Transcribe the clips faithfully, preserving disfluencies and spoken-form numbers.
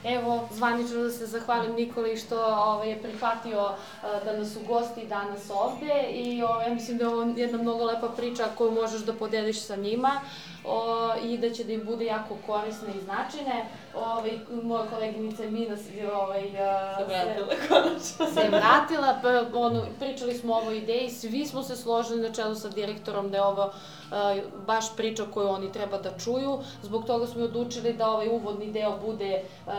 Evo, zvanično da se zahvalim Nikoli što ovaj, je prihvatio uh, da nas ugosti danas ovde i ovaj, ja mislim da je ovo jedna mnogo lepa priča koju možeš da podeliš sa njima o, i da će da im bude jako korisne i značajne. Ovaj, moja koleginica Mina se, ovaj, se vratila konačno. Se vratila, pa, ono, pričali smo o ovoj ideji, svi smo se složili na čelu sa direktorom da je ovo uh, baš priča koju oni treba da čuju. Zbog toga smo odlučili da ovaj uvodni deo bude uh,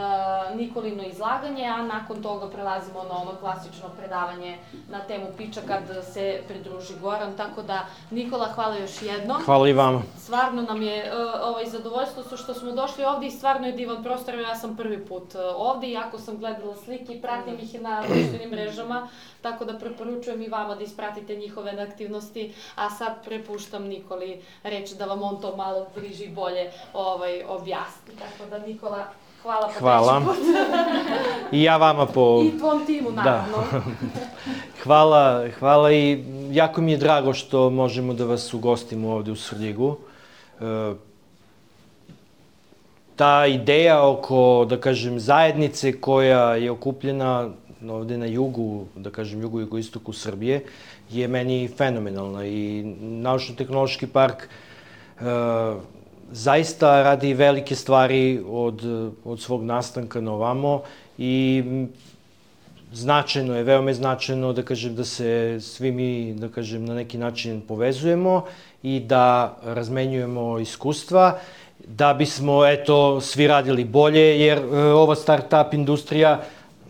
Nikolino izlaganje, a nakon toga prelazimo na ono klasično predavanje na temu piča kad se pridruži Goran. Tako da, Nikola, hvala još jednom. Hvala i vama. Stvarno nam je uh, ovaj, zadovoljstvo što smo došli ovde i stvarno je divan prostor. Ja sam prvi put uh, ovde, iako sam gledala slike i pratim ih na društvenim mrežama, tako da preporučujem i vama da ispratite njihove aktivnosti, a sad prepuštam Nikoli reč da vam on to malo bliže i bolje ovaj, objasni. Tako da, Nikola, hvala po hvala. treći put. I ja vama po... I tvom timu, naravno. Da. hvala, hvala i jako mi je drago što možemo da vas ugostimo ovde u Svrljigu. E, ta ideja oko, da kažem, zajednice koja je okupljena ovde na jugu, da kažem, jugu-jugoistoku Srbije, je meni fenomenalna i Naučno-tehnološki park e, zaista radi velike stvari od, od svog nastanka na ovamo i značajno je, veoma je značajno, da kažem, da se svi mi, da kažem, na neki način povezujemo i da razmenjujemo iskustva, da bismo, eto, svi radili bolje, jer e, ova start-up industrija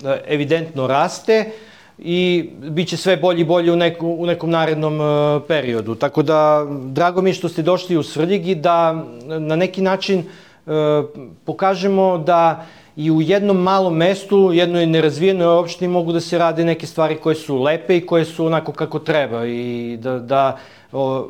e, evidentno raste i bit će sve bolje i bolje u, neku, u nekom narednom e, periodu. Tako da, drago mi je što ste došli u Svrljig i da na neki način e, pokažemo da i u jednom malom mestu, jednoj nerazvijenoj opštini mogu da se rade neke stvari koje su lepe i koje su onako kako treba i da, da o,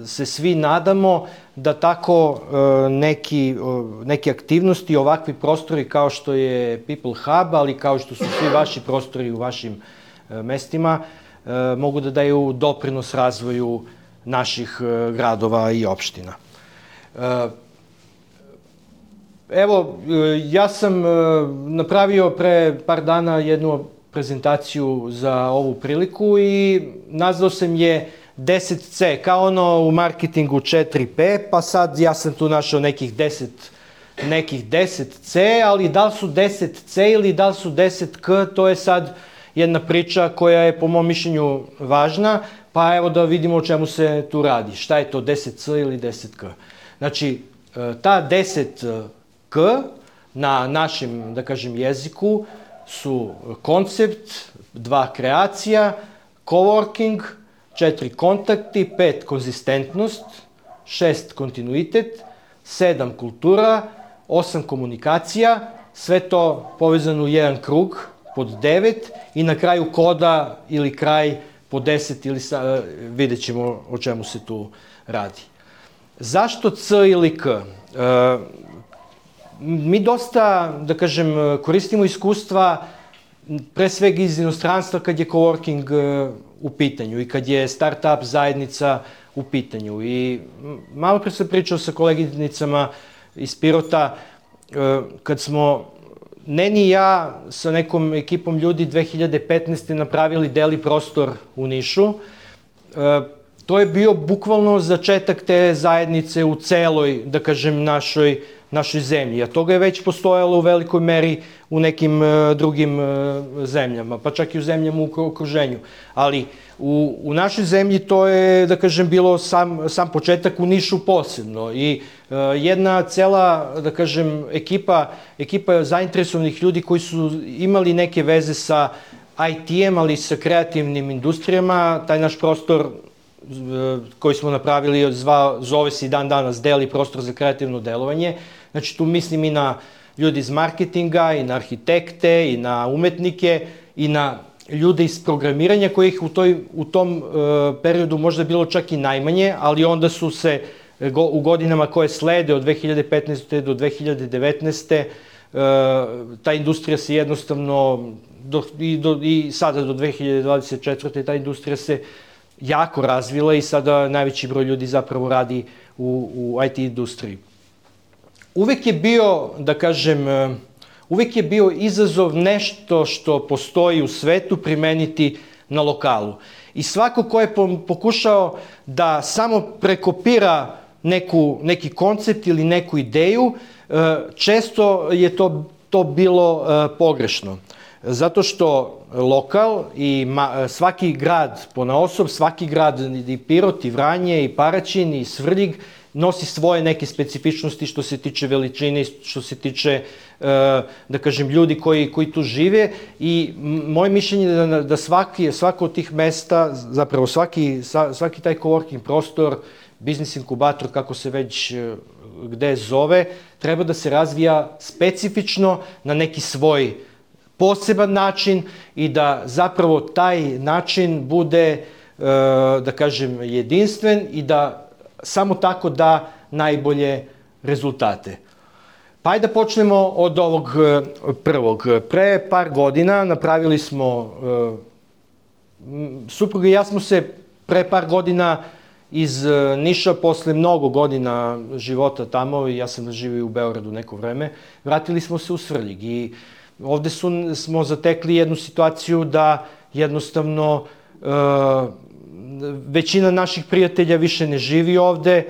se svi nadamo da tako e, neki, o, neke aktivnosti, ovakvi prostori kao što je People Hub, ali kao što su svi vaši prostori u vašim e, mestima, e, mogu da daju doprinos razvoju naših e, gradova i opština. E, Evo, ja sam napravio pre par dana jednu prezentaciju za ovu priliku i nazvao sam je deset ce, kao ono u marketingu četiri pe, pa sad ja sam tu našao nekih deset, nekih deset ce, ali da li su deset ce ili da li su deset ka, to je sad jedna priča koja je po mom mišljenju važna, pa evo da vidimo o čemu se tu radi. Šta je to deset ce ili deset ka? Znači, ta deset K na našem, da kažem, jeziku su koncept, dva kreacija, coworking, četiri kontakti, pet konzistentnost, šest kontinuitet, sedam kultura, osam komunikacija, sve to povezano u jedan krug pod devet i na kraju koda ili kraj pod deset ili sa, vidjet ćemo o čemu se tu radi. Zašto C ili K? E, Mi dosta, da kažem, koristimo iskustva pre svega iz inostranstva kad je coworking u pitanju i kad je start-up zajednica u pitanju. I malo pre sam pričao sa koleginicama iz Pirota, kad smo, ne ni ja, sa nekom ekipom ljudi dve hiljade petnaeste. napravili deli prostor u Nišu. To je bio bukvalno začetak te zajednice u celoj, da kažem, našoj našoj zemlji, a toga je već postojalo u velikoj meri u nekim uh, drugim uh, zemljama, pa čak i u zemljama u okruženju. Ali u, u našoj zemlji to je, da kažem, bilo sam, sam početak, u Nišu posebno. I uh, jedna cela, da kažem, ekipa, ekipa zainteresovanih ljudi koji su imali neke veze sa i te-em, ali sa kreativnim industrijama, taj naš prostor koji smo napravili zva, zove se i dan danas Deli prostor za kreativno delovanje. Znači tu mislim i na ljudi iz marketinga, i na arhitekte, i na umetnike, i na ljude iz programiranja kojih u, toj, u tom uh, periodu možda bilo čak i najmanje, ali onda su se go, u godinama koje slede od dve hiljade petnaeste. do dve hiljade devetnaeste. Uh, ta industrija se jednostavno do, i, do, i sada do dve hiljade dvadeset četvrte. ta industrija se jako razvila i sada najveći broj ljudi zapravo radi u, u i te industriji. Uvek je bio, da kažem, uvijek je bio izazov nešto što postoji u svetu primeniti na lokalu. I svako ko je pokušao da samo prekopira neku, neki koncept ili neku ideju, često je to, to bilo pogrešno. Zato što lokal i ma, svaki grad ponaosob, svaki grad i Pirot, i Vranje, i Paraćin, i Svrljig nosi svoje neke specifičnosti što se tiče veličine, što se tiče, da kažem, ljudi koji, koji tu žive i moje mišljenje je da, da svaki, svako od tih mesta, zapravo svaki, svaki taj coworking prostor, biznis inkubator, kako se već gde zove, treba da se razvija specifično na neki svoj poseban način i da zapravo taj način bude, da kažem, jedinstven i da samo tako da najbolje rezultate. Pa ajde da počnemo od ovog prvog. Pre par godina napravili smo, supruga i ja smo se pre par godina iz Niša, posle mnogo godina života tamo, ja sam živio u Beogradu neko vreme, vratili smo se u Svrljig i ovde su, smo zatekli jednu situaciju da jednostavno e, većina naših prijatelja više ne živi ovde, e,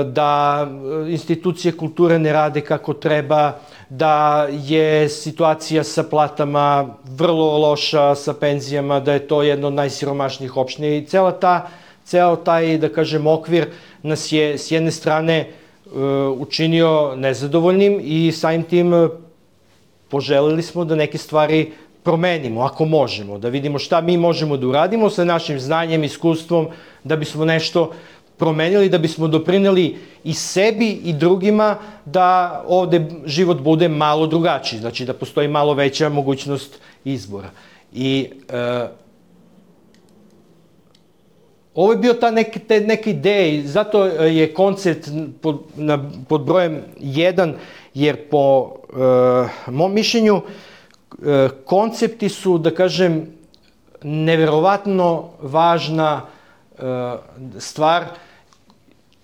da institucije kulture ne rade kako treba, da je situacija sa platama vrlo loša, sa penzijama, da je to jedna od najsiromašnijih opština i cela ta, ceo taj, da kažem, okvir nas je s jedne strane e, učinio nezadovoljnim i samim tim poželeli smo da neke stvari promenimo, ako možemo, da vidimo šta mi možemo da uradimo sa našim znanjem, iskustvom, da bismo nešto promenili, da bismo doprineli i sebi i drugima da ovde život bude malo drugačiji, znači da postoji malo veća mogućnost izbora. I e, ovo je bio ta neke, te neke ideje, zato je koncept pod, na, pod brojem jedan, jer po e, mom mišljenju e, koncepti su, da kažem, neverovatno važna e, stvar.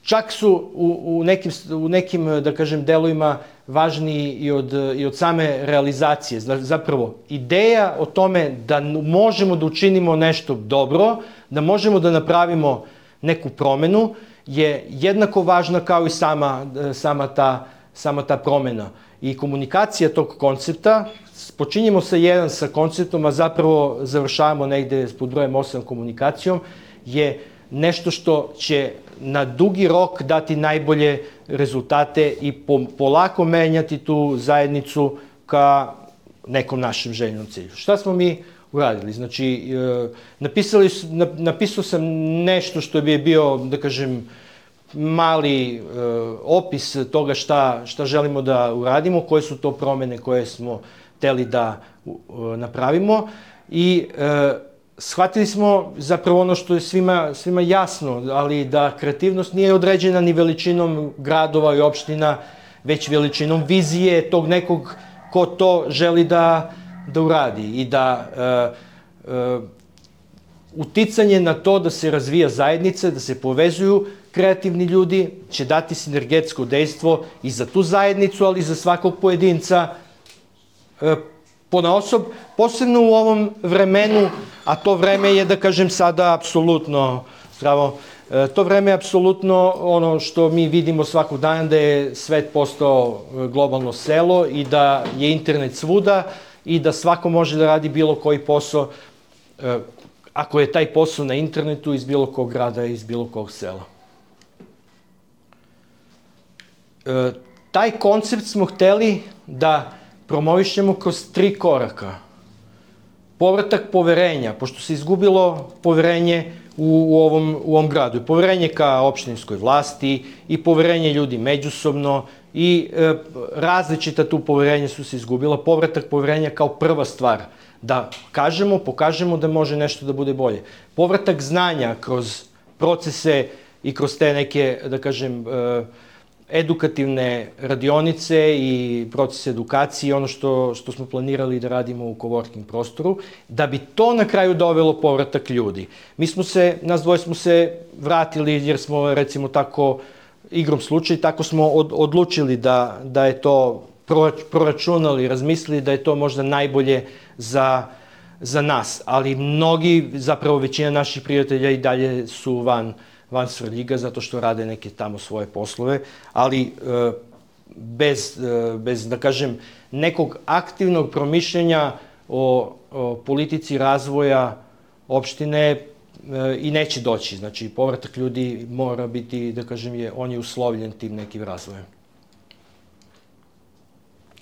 Čak su u, u, nekim, u nekim, da kažem, delovima važniji i od, i od same realizacije. Zapravo, ideja o tome da možemo da učinimo nešto dobro, da možemo da napravimo neku promenu, je jednako važna kao i sama, sama, ta, sama ta promena. I komunikacija tog koncepta, počinjemo sa jedan sa konceptom, a zapravo završavamo negde pod brojem osam komunikacijom, je nešto što će na dugi rok dati najbolje rezultate i polako menjati tu zajednicu ka nekom našem željenom cilju. Šta smo mi uradili? Znači, napisali, napisao sam nešto što bi bio, da kažem, mali opis toga šta, šta želimo da uradimo, koje su to promene koje smo hteli da napravimo i shvatili smo zapravo ono što je svima, svima jasno, ali da kreativnost nije određena ni veličinom gradova i opština, već veličinom vizije tog nekog ko to želi da, da uradi i da e, e, uticanje na to da se razvija zajednica, da se povezuju kreativni ljudi, će dati sinergetsko dejstvo i za tu zajednicu, ali i za svakog pojedinca e, ponaosob, posebno u ovom vremenu, a to vreme je, da kažem, sada apsolutno zdravo, to vreme je apsolutno ono što mi vidimo svakog dana, da je svet postao globalno selo i da je internet svuda i da svako može da radi bilo koji posao, ako je taj posao na internetu iz bilo kog grada, iz bilo kog sela. Taj koncept smo hteli da promovišemo kroz tri koraka. Povratak poverenja, pošto se izgubilo poverenje u, u, ovom, u ovom gradu. Poverenje ka opštinskoj vlasti i poverenje ljudi međusobno i e, različita tu poverenja su se izgubila. Povratak poverenja kao prva stvar. Da kažemo, pokažemo da može nešto da bude bolje. Povratak znanja kroz procese i kroz te neke, da kažem, e, edukativne radionice i proces edukacije, ono što, što smo planirali da radimo u coworking prostoru, da bi to na kraju dovelo povratak ljudi. Mi smo se, nas dvoje smo se vratili jer smo, recimo tako, igrom slučaj, tako smo od, odlučili da, da je to proračunali, razmislili da je to možda najbolje za, za nas. Ali mnogi, zapravo većina naših prijatelja i dalje su van, van Svrljiga zato što rade neke tamo svoje poslove, ali bez, bez da kažem, nekog aktivnog promišljenja o, o politici razvoja opštine i neće doći. Znači, povratak ljudi mora biti, da kažem, je, on je uslovljen tim nekim razvojem.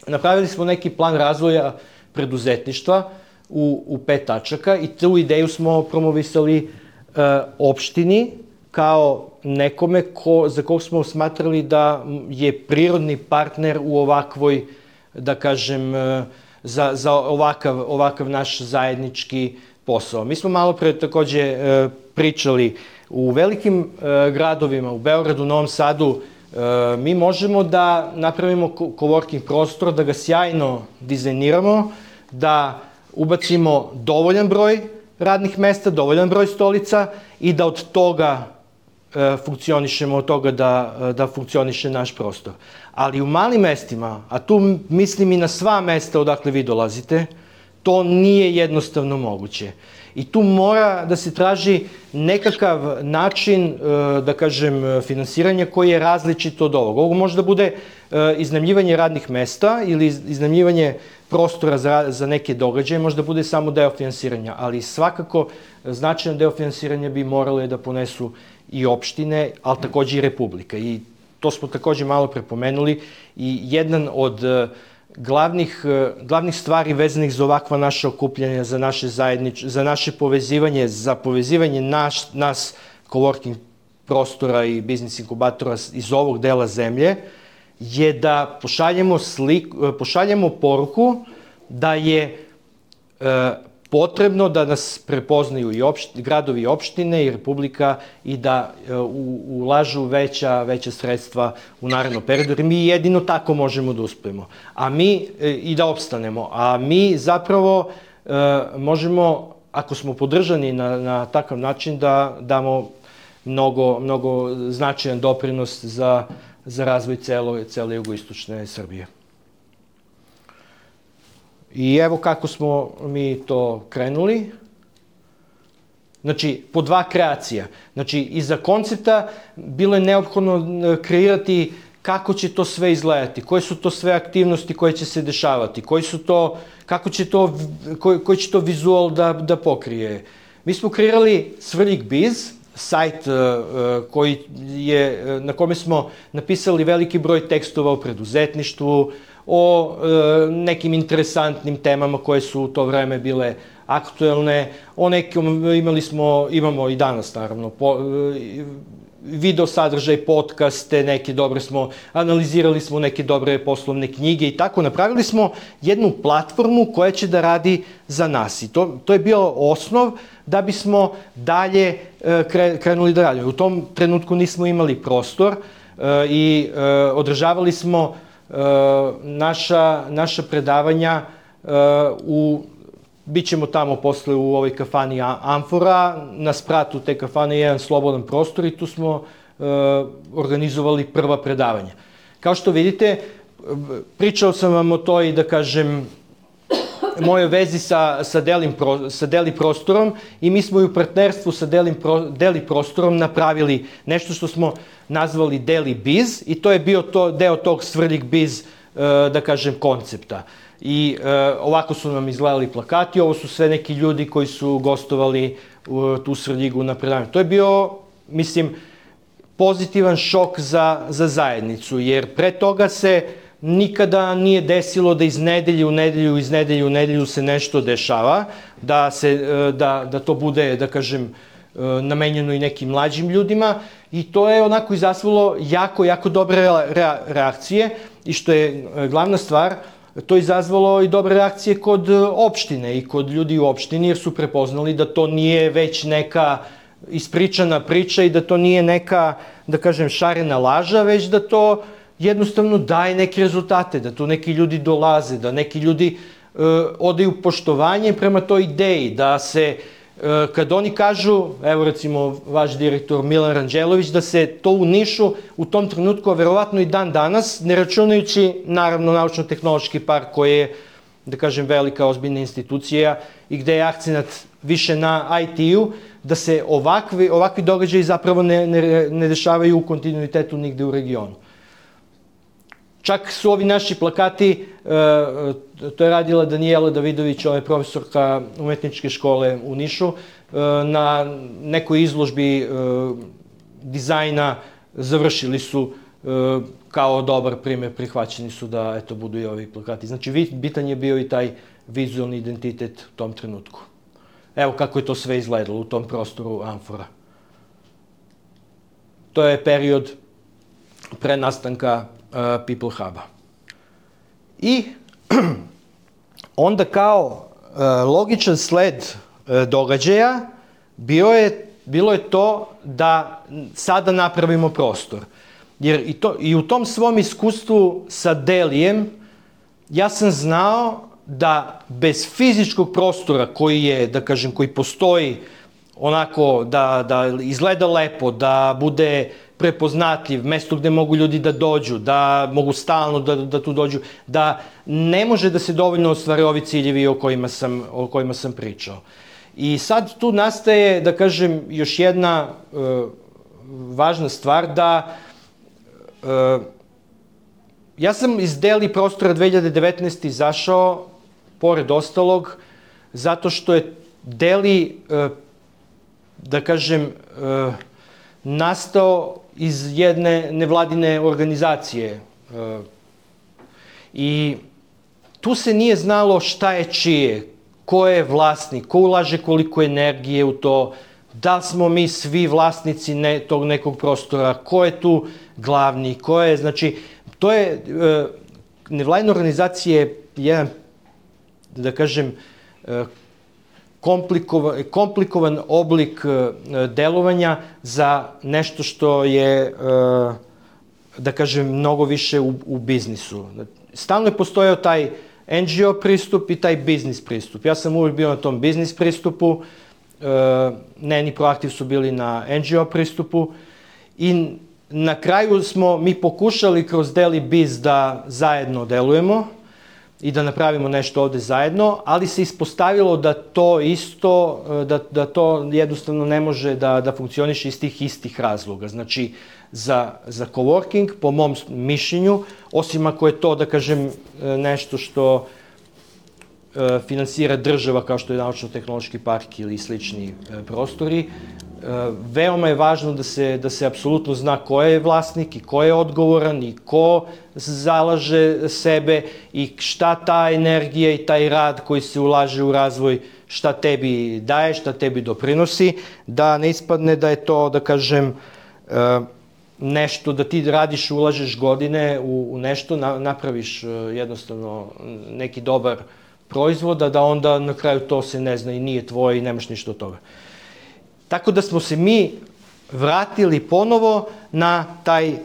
Napravili smo neki plan razvoja preduzetništva u, u pet tačaka i tu ideju smo promovisali e, opštini kao nekome ko, za kog smo smatrali da je prirodni partner u ovakvoj, da kažem, e, za, za ovakav, ovakav naš zajednički posao. Mi smo malo pre takođe e, pričali u velikim e, gradovima, u Beogradu, Novom Sadu, e, mi možemo da napravimo coworking prostor, da ga sjajno dizajniramo, da ubacimo dovoljan broj radnih mesta, dovoljan broj stolica i da od toga e, funkcionišemo, od toga da, da funkcioniše naš prostor. Ali u malim mestima, a tu mislim i na sva mesta odakle vi dolazite, to nije jednostavno moguće. I tu mora da se traži nekakav način, da kažem, finansiranja koji je različit od ovog. Ovo može da bude iznajmljivanje radnih mesta ili iznajmljivanje prostora za, za neke događaje, može da bude samo deo finansiranja, ali svakako značajan deo finansiranja bi morale da ponesu i opštine, ali takođe i Republika. I to smo takođe malo prepomenuli i jedan od glavnih, glavnih stvari vezanih za ovakva naša okupljanja, za naše zajednič, za naše povezivanje, za povezivanje naš, nas coworking prostora i biznis inkubatora iz ovog dela zemlje, je da pošaljemo, slik, pošaljemo poruku da je e, potrebno da nas prepoznaju i opšti, gradovi i opštine i Republika i da e, u, ulažu veća, veća sredstva u narednom periodu, jer mi jedino tako možemo da uspemo. A mi, e, i da opstanemo. A mi zapravo e, možemo, ako smo podržani na, na takav način, da damo mnogo, mnogo značajan doprinos za za razvoj celo, cele jugoistočne Srbije. I evo kako smo mi to krenuli. Znači, po dva kreacija. Znači, iza koncepta bilo je neophodno kreirati kako će to sve izgledati, koje su to sve aktivnosti koje će se dešavati, koji su to, kako će to, koji, koji će to vizual da, da pokrije. Mi smo kreirali Svrljig Biz, sajt koji je, na kome smo napisali veliki broj tekstova o preduzetništvu, o nekim interesantnim temama koje su u to vreme bile aktuelne, o nekim, imali smo, imamo i danas naravno, po, video sadržaj, podcaste, neke dobre smo, analizirali smo neke dobre poslovne knjige i tako, napravili smo jednu platformu koja će da radi za nas i to, to je bio osnov da bismo dalje e, krenuli da radimo. U tom trenutku nismo imali prostor e, i e, održavali smo e, naša, naša predavanja e, u Bićemo tamo posle u ovoj kafani Amfora, na spratu te kafane je jedan slobodan prostor i tu smo e, organizovali prva predavanja. Kao što vidite, pričao sam vam o toj, da kažem, mojoj vezi sa, sa, delim, sa Deli prostorom i mi smo i u partnerstvu sa Delim, Deli prostorom napravili nešto što smo nazvali Deli Biz i to je bio to, deo tog Svrljig Biz, e, da kažem, koncepta. I e, ovako su nam izgledali plakati, ovo su sve neki ljudi koji su gostovali u tu Svrljigu na predavanju. To je bio, mislim, pozitivan šok za, za zajednicu, jer pre toga se nikada nije desilo da iz nedelje u nedelju, iz nedelje u nedelju se nešto dešava, da, se, da, da to bude, da kažem, namenjeno i nekim mlađim ljudima i to je onako izazvalo jako, jako dobre reakcije i što je glavna stvar, to je izazvalo i dobre reakcije kod opštine i kod ljudi u opštini, jer su prepoznali da to nije već neka ispričana priča i da to nije neka, da kažem, šarena laža, već da to jednostavno daje neke rezultate, da tu neki ljudi dolaze, da neki ljudi e, odaju poštovanje prema toj ideji, da se kad oni kažu, evo recimo vaš direktor Milan Ranđelović, da se to u Nišu u tom trenutku, a verovatno i dan danas, ne računajući naravno Naučno-tehnološki park koji je, da kažem, velika ozbiljna institucija i gde je akcenat više na I T-u, da se ovakvi, ovakvi događaji zapravo ne, ne, ne dešavaju u kontinuitetu nigde u regionu. Čak su ovi naši plakati, to je radila Danijela Davidović, ona je profesorka umetničke škole u Nišu, na nekoj izložbi dizajna završili su kao dobar primjer, prihvaćeni su da eto, budu i ovi plakati. Znači, bitan je bio i taj vizualni identitet u tom trenutku. Evo kako je to sve izgledalo u tom prostoru Amfora. To je period pre nastanka uh, People Huba. I onda kao uh, logičan sled uh, događaja bio je, bilo je to da sada napravimo prostor. Jer i, to, i u tom svom iskustvu sa Delijem ja sam znao da bez fizičkog prostora koji je, da kažem, koji postoji onako da, da izgleda lepo, da bude prepoznatljiv, mesto gde mogu ljudi da dođu, da mogu stalno da, da tu dođu, da ne može da se dovoljno ostvare ovi ciljevi o kojima sam, o kojima sam pričao. I sad tu nastaje, da kažem, još jedna uh, važna stvar da uh, ja sam iz Deli prostora dve hiljade devetnaeste. izašao, pored ostalog, zato što je Deli, uh, da kažem, uh, nastao iz jedne nevladine organizacije. Uh, I tu se nije znalo šta je čije, ko je vlasnik, ko ulaže koliko energije u to, da li smo mi svi vlasnici ne, tog nekog prostora, ko je tu glavni, ko je, znači, to je, uh, nevladina organizacija je jedan, da kažem, uh, komplikovan, komplikovan oblik uh, delovanja za nešto što je, uh, da kažem, mnogo više u, u biznisu. Stalno je postojao taj N G O pristup i taj biznis pristup. Ja sam uvijek bio na tom biznis pristupu, uh, Nen i Proaktiv su bili na N G O pristupu i na kraju smo mi pokušali kroz Deli Biz da zajedno delujemo i da napravimo nešto ovde zajedno, ali se ispostavilo da to isto, da, da to jednostavno ne može da, da funkcioniše iz tih istih razloga. Znači, za, za coworking, po mom mišljenju, osim ako je to, da kažem, nešto što e, finansira država, kao što je Naučno-tehnološki park ili slični e, prostori, e, veoma je važno da se, da se apsolutno zna ko je vlasnik i ko je odgovoran i ko zalaže sebe i šta ta energija i taj rad koji se ulaže u razvoj, šta tebi daje, šta tebi doprinosi, da ne ispadne da je to, da kažem, e, nešto da ti radiš, ulažeš godine u, u nešto, na, napraviš uh, jednostavno neki dobar proizvod, a da onda na kraju to se ne zna i nije tvoje i nemaš ništa od toga. Tako da smo se mi vratili ponovo na taj uh,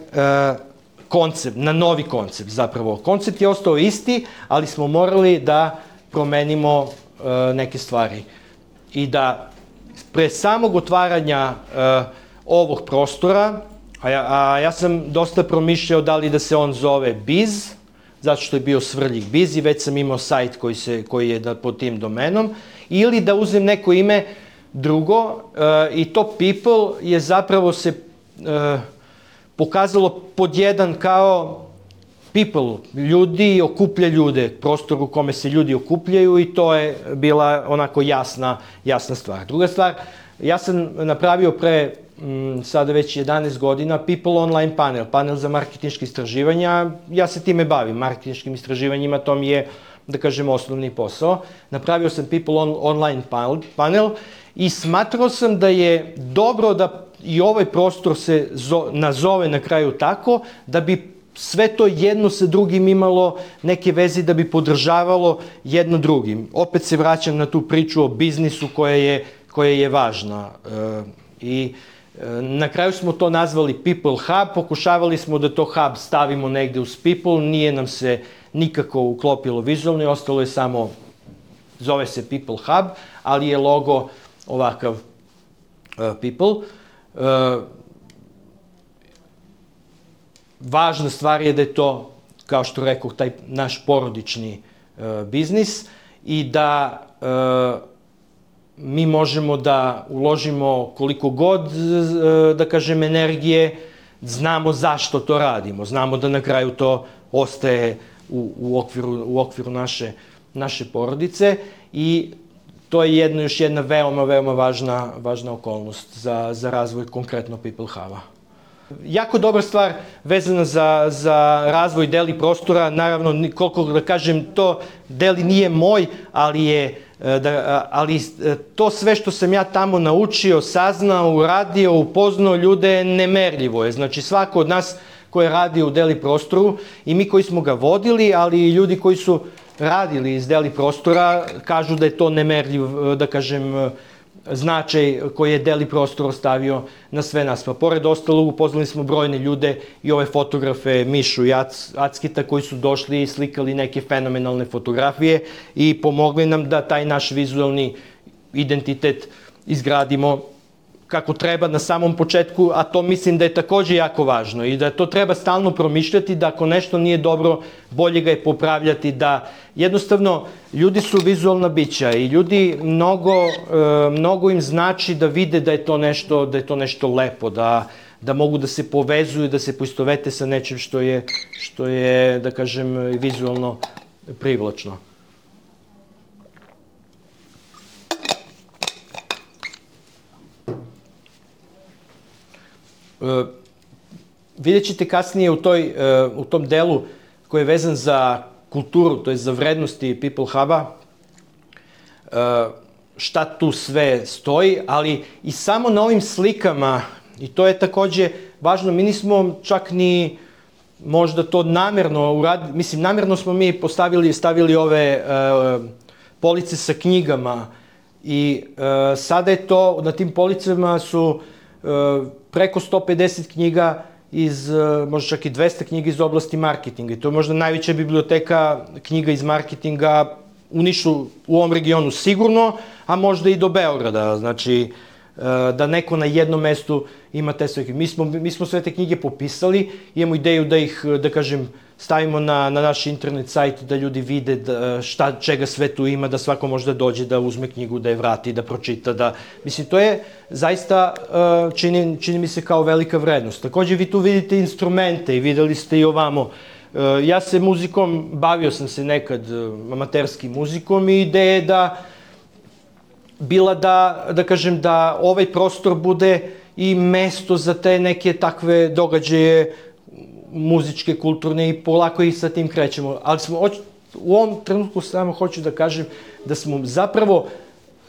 koncept, na novi koncept zapravo. Koncept je ostao isti, ali smo morali da promenimo uh, neke stvari. I da pre samog otvaranja uh, ovog prostora, A ja, a ja sam dosta promišljao da li da se on zove Biz, zato što je bio Svrljig Biz i već sam imao sajt koji, se, koji je da, pod tim domenom, ili da uzem neko ime drugo uh, i to People je zapravo se uh, pokazalo pod jedan kao People, ljudi okuplja ljude, prostor u kome se ljudi okupljaju i to je bila onako jasna, jasna stvar. Druga stvar, ja sam napravio pre sada već jedanaest godina People Online panel, panel za marketinške istraživanja. Ja se time bavim, marketinškim istraživanjima, to mi je, da kažem, osnovni posao. Napravio sam People on, Online panel i smatrao sam da je dobro da i ovaj prostor se zo, nazove na kraju tako, da bi sve to jedno sa drugim imalo neke veze, da bi podržavalo jedno drugim. Opet se vraćam na tu priču o biznisu koja je, koja je važna. E, I na kraju smo to nazvali People Hub, pokušavali smo da to Hub stavimo negde uz People, nije nam se nikako uklopilo vizualno i ostalo je samo, zove se People Hub, ali je logo ovakav uh, people. Uh, važna stvar je da je to, kao što rekao, taj naš porodični uh, biznis i da uh, mi možemo da uložimo koliko god, uh, da kažem, energije, znamo zašto to radimo, znamo da na kraju to ostaje u, u okviru, u okviru naše, naše porodice i to je jedna, još jedna veoma, veoma važna, važna okolnost za, za razvoj konkretno People Hub-a. Jako dobra stvar vezana za, za razvoj deli prostora, naravno, koliko da kažem, to deli nije moj, ali je da, ali to sve što sam ja tamo naučio, saznao, uradio, upoznao ljude, nemerljivo je. Znači, svako od nas ko je radio u deli prostoru i mi koji smo ga vodili, ali i ljudi koji su radili iz deli prostora, kažu da je to nemerljiv, da kažem, značaj koji je deli prostor ostavio na sve nas. Pa pored ostalog, upoznali smo brojne ljude i ove fotografe Mišu i Ackita koji su došli i slikali neke fenomenalne fotografije i pomogli nam da taj naš vizualni identitet izgradimo kako treba na samom početku, a to mislim da je takođe jako važno i da to treba stalno promišljati, da ako nešto nije dobro, bolje ga je popravljati, da jednostavno ljudi su vizualna bića i ljudi mnogo, mnogo im znači da vide da je to nešto, da je to nešto lepo, da, da mogu da se povezuju, da se poistovete sa nečim što je, što je, da kažem, vizualno privlačno. Uh, vidjet ćete kasnije u, toj, uh, u tom delu koji je vezan za kulturu, to je za vrednosti People Hub-a, uh, šta tu sve stoji, ali i samo na ovim slikama, i to je takođe važno, mi nismo čak ni možda to namerno uradili, mislim, namerno smo mi postavili, stavili ove uh, police sa knjigama i uh, sada je to, na tim policama su uh, preko sto pedeset knjiga iz, možda čak i dvesta knjiga iz oblasti marketinga. I to je možda najveća biblioteka knjiga iz marketinga u Nišu, u ovom regionu sigurno, a možda i do Beograda. Znači, da neko na jednom mestu ima te sve knjige. Mi smo, mi smo sve te knjige popisali, imamo ideju da ih, da kažem, stavimo na, na naš internet sajt, da ljudi vide da, šta, čega sve tu ima, da svako možda dođe da uzme knjigu, da je vrati, da pročita, da... Mislim, to je zaista, čini, čini mi se kao velika vrednost. Takođe, vi tu vidite instrumente i videli ste i ovamo. Ja se muzikom, bavio sam se nekad amaterskim muzikom i ideja je da bila da, da kažem, da ovaj prostor bude i mesto za te neke takve događaje muzičke, kulturne i polako i sa tim krećemo. Ali smo, u ovom trenutku samo hoću da kažem da smo zapravo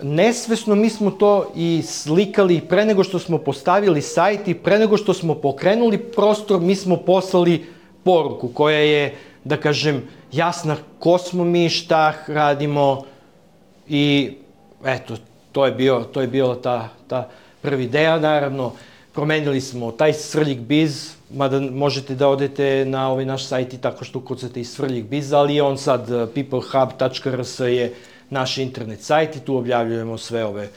nesvesno mi smo to i slikali pre nego što smo postavili sajt i pre nego što smo pokrenuli prostor, mi smo poslali poruku koja je, da kažem, jasna ko smo mi, šta radimo i eto, to je bio, to je bila ta, ta prva ideja. Naravno, promenili smo taj Svrljig biz, mada možete da odete na ovaj naš sajt i tako što ukucate i Svrljig biz, ali je on sad peoplehub tačka r s je naš internet sajt i tu objavljujemo sve ove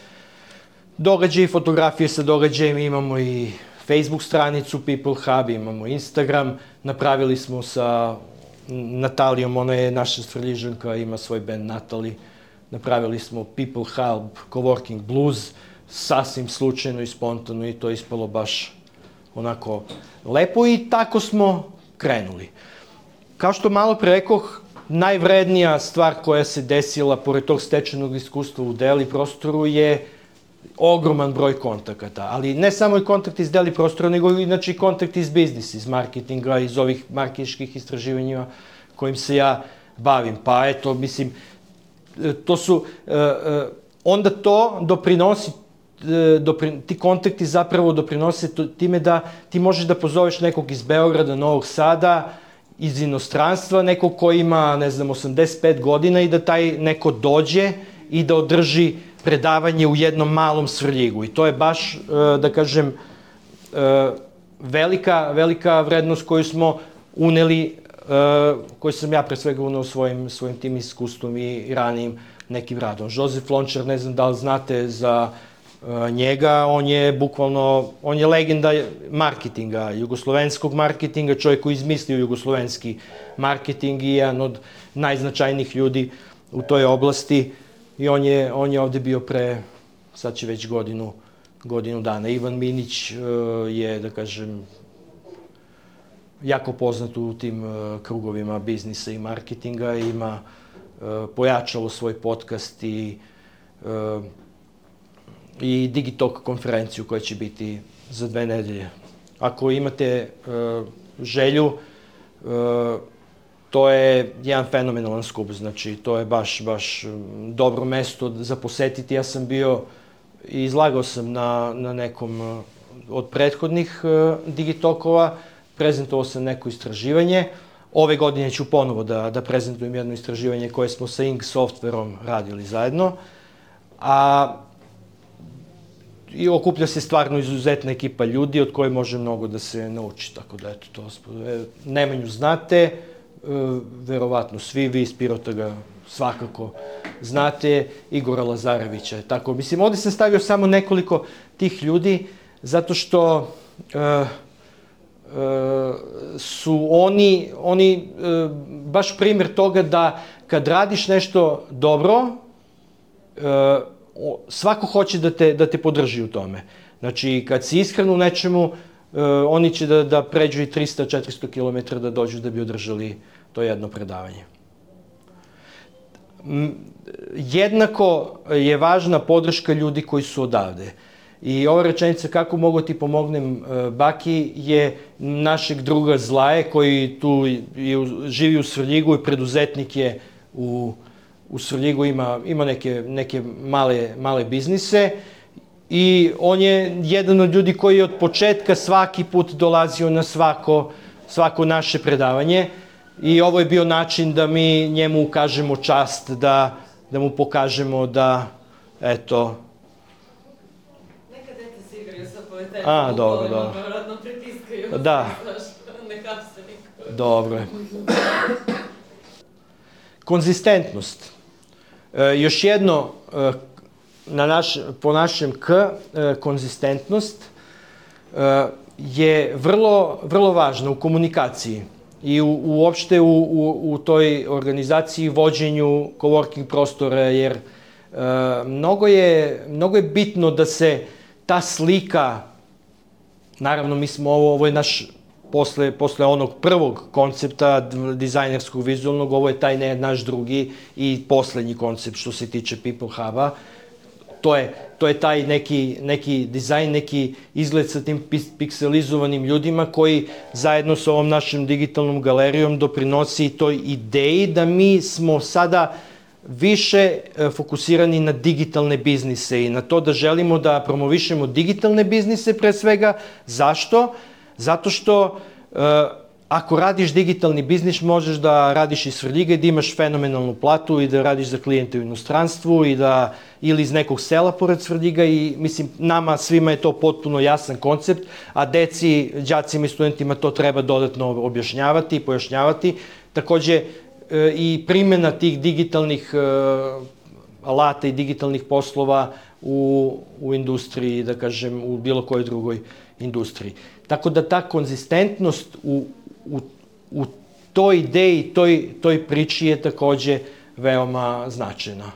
događaje i fotografije sa događajima. Imamo i Facebook stranicu People Hub, imamo Instagram, napravili smo sa Natalijom, ona je naša Svrljižanka, ima svoj band Natali. Napravili smo People Hub Coworking Blues, sasvim slučajno i spontano i to je ispalo baš onako lepo i tako smo krenuli. Kao što malo pre rekoh, najvrednija stvar koja se desila pored tog stečenog iskustva u deli prostoru je ogroman broj kontakata, ali ne samo i kontakti iz deli prostora, nego inače i kontakti iz biznisa, iz marketinga, iz ovih marketinških istraživanja kojim se ja bavim. Pa eto, mislim, to su, onda to doprinosi, ti kontakti zapravo doprinose time da ti možeš da pozoveš nekog iz Beograda, Novog Sada, iz inostranstva, nekog ko ima, ne znam, osamdeset pet godina i da taj neko dođe i da održi predavanje u jednom malom Svrljigu. I to je baš, da kažem, velika, velika vrednost koju smo uneli, koju sam ja pre svega uneo svojim, svojim tim iskustvom i ranijim nekim radom. Josef Lončar, ne znam da li znate za njega, on je bukvalno, on je legenda marketinga, jugoslovenskog marketinga, čovjek koji izmislio jugoslovenski marketing i jedan od najznačajnijih ljudi u toj oblasti i on je, on je ovde bio pre, sad će već godinu, godinu dana. Ivan Minić je, da kažem, jako poznat u tim krugovima biznisa i marketinga, ima pojačalo svoj podcast i i Digitalk konferenciju koja će biti za dve nedelje. Ako imate želju, to je jedan fenomenalan skup, znači to je baš, baš dobro mesto za posetiti. Ja sam bio i izlagao sam na, na nekom od prethodnih Digitalkova, prezentovao sam neko istraživanje. Ove godine ću ponovo da, da prezentujem jedno istraživanje koje smo sa Ing Softwareom radili zajedno, a i okuplja se stvarno izuzetna ekipa ljudi od koje može mnogo da se nauči, tako da eto to, Nemanju znate, verovatno svi, vi iz Pirota ga svakako znate, Igora Lazarevića, tako, mislim, ovde sam stavio samo nekoliko tih ljudi, zato što uh, uh, su oni, oni uh, baš primjer toga da kad radiš nešto dobro, uh, svako hoće da te, da te podrži u tome. Znači, kad si iskren u nečemu, uh, oni će da, da pređu i trista do četiristo kilometara da dođu da bi održali to jedno predavanje. Jednako je važna podrška ljudi koji su odavde. I ova rečenica kako mogu ti pomognem Baki je našeg druga Zlaje koji tu živi u Svrljigu i preduzetnik je u, u Svrljigu, ima, ima neke, neke male, male biznise i on je jedan od ljudi koji je od početka svaki put dolazio na svako, svako naše predavanje. I ovo je bio način da mi njemu ukažemo čast, da, da mu pokažemo da, eto... Neka dete se igraju sa povjetenjem. A, dobro, dobro. Vjerojatno pritiskaju. Da. Ne hapse niko. Dobro je. Konzistentnost. E, još jedno, e, na naš, po našem K, e, konzistentnost e, je vrlo, vrlo važna u komunikaciji. I u, uopšte u, u, u toj organizaciji vođenju coworking prostora, jer e, mnogo, je, mnogo je bitno da se ta slika, naravno mi smo ovo, ovo je naš, posle, posle onog prvog koncepta dizajnerskog vizualnog, ovo je taj ne, naš drugi i poslednji koncept što se tiče People Hub-a. To je, to je taj neki, neki dizajn, neki izgled sa tim pikselizovanim ljudima koji zajedno sa ovom našom digitalnom galerijom doprinosi toj ideji da mi smo sada više fokusirani na digitalne biznise i na to da želimo da promovišemo digitalne biznise pre svega. Zašto? Zato što ako radiš digitalni biznis, možeš da radiš iz Svrljiga i da imaš fenomenalnu platu i da radiš za klijente u inostranstvu i da, ili iz nekog sela pored Svrljiga i mislim, nama svima je to potpuno jasan koncept, a deci, đacima i studentima to treba dodatno objašnjavati i pojašnjavati. Takođe i primjena tih digitalnih alata i digitalnih poslova u, u industriji, da kažem, u bilo kojoj drugoj industriji. Tako da ta konzistentnost u U, u toj ideji, toj, toj priči je takođe veoma značajna.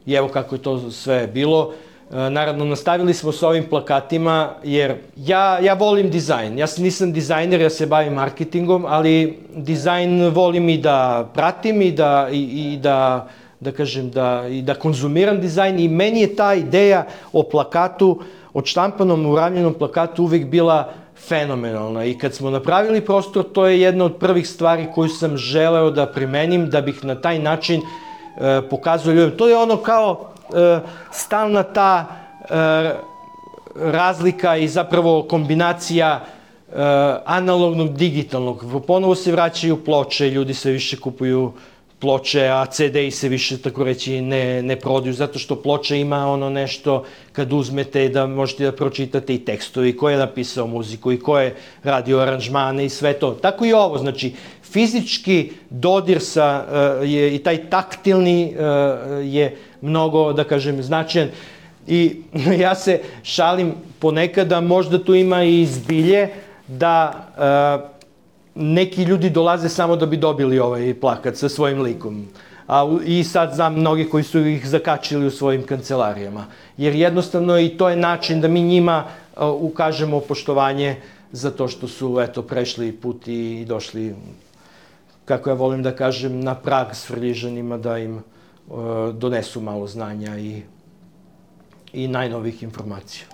I evo kako je to sve bilo. E, naravno, nastavili smo sa ovim plakatima, jer ja, ja volim dizajn. Ja nisam dizajner, ja se bavim marketingom, ali dizajn volim i da pratim i da, i, i da, da kažem, da, i da konzumiram dizajn. I meni je ta ideja o plakatu, o štampanom, uravljenom plakatu uvek bila fenomenalna i kad smo napravili prostor, to je jedna od prvih stvari koju sam želeo da primenim, da bih na taj način e, pokazao ljudima. To je ono kao e, stalna ta e, razlika i zapravo kombinacija e, analognog, digitalnog. Ponovo se vraćaju ploče, ljudi sve više kupuju ploče, a ce de i se više, tako reći, ne, ne prodaju, zato što ploča ima ono nešto, kad uzmete da možete da pročitate i tekstovi, ko je napisao muziku i ko je radio aranžmane i sve to. Tako i ovo, znači, fizički dodir sa, uh, je, i taj taktilni uh, je mnogo, da kažem, značajan. I ja se šalim ponekad da možda tu ima i zbilje da uh, neki ljudi dolaze samo da bi dobili ovaj plakat sa svojim likom. A, I sad znam mnogi koji su ih zakačili u svojim kancelarijama. Jer jednostavno i to je način da mi njima uh, ukažemo poštovanje za to što su eto, prešli put i došli, kako ja volim da kažem, na prag s Vrljižanima da im uh, donesu malo znanja i, i najnovih informacija.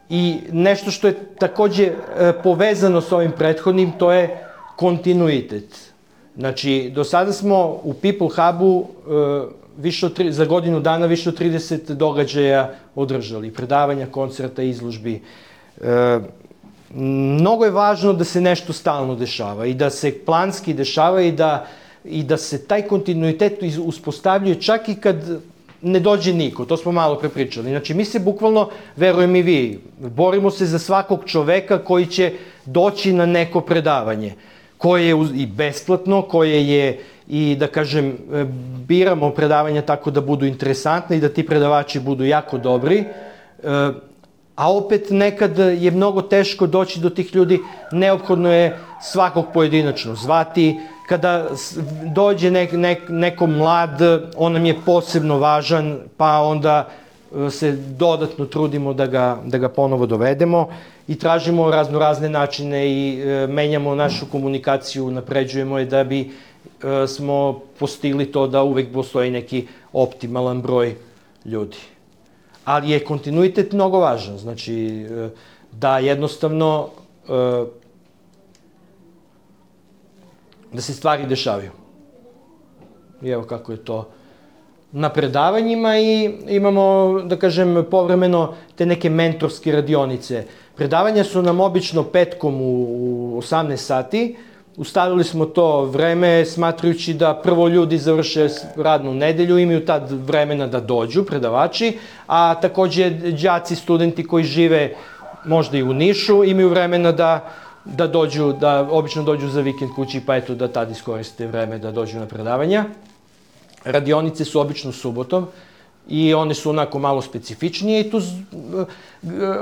I nešto što je takođe uh, povezano s ovim prethodnim, to je kontinuitet. Znači, do sada smo u People Hubu uh, više od, za godinu dana više od trideset događaja održali, predavanja, koncerta, izložbi. Uh, mnogo je važno da se nešto stalno dešava i da se planski dešava i da, i da se taj kontinuitet uspostavljuje čak i kad ne dođe niko, to smo malo prepričali. Znači, mi se bukvalno, verujem i vi, borimo se za svakog čoveka koji će doći na neko predavanje, koje je i besplatno, koje je i, da kažem, biramo predavanja tako da budu interesantne i da ti predavači budu jako dobri, a opet nekad je mnogo teško doći do tih ljudi, neophodno je svakog pojedinačno zvati. Kada dođe nek, nek, neko mlad, on nam je posebno važan, pa onda se dodatno trudimo da ga, da ga ponovo dovedemo i tražimo razno razne načine i e, menjamo našu komunikaciju, napređujemo je da bi e, smo postigli to da uvek postoji neki optimalan broj ljudi. Ali je kontinuitet mnogo važan, znači e, da jednostavno e, da se stvari dešavaju. I evo kako je to na predavanjima i imamo, da kažem, povremeno te neke mentorske radionice. Predavanja su nam obično petkom u osamnaest sati. Ustavili smo to vreme smatrajući da prvo ljudi završe radnu nedelju, imaju tad vremena da dođu, predavači, a takođe đaci, studenti koji žive možda i u Nišu, imaju vremena da da dođu, da obično dođu za vikend kući, pa eto da tad iskoriste vreme da dođu na predavanja. Radionice su obično subotom i one su onako malo specifičnije i tu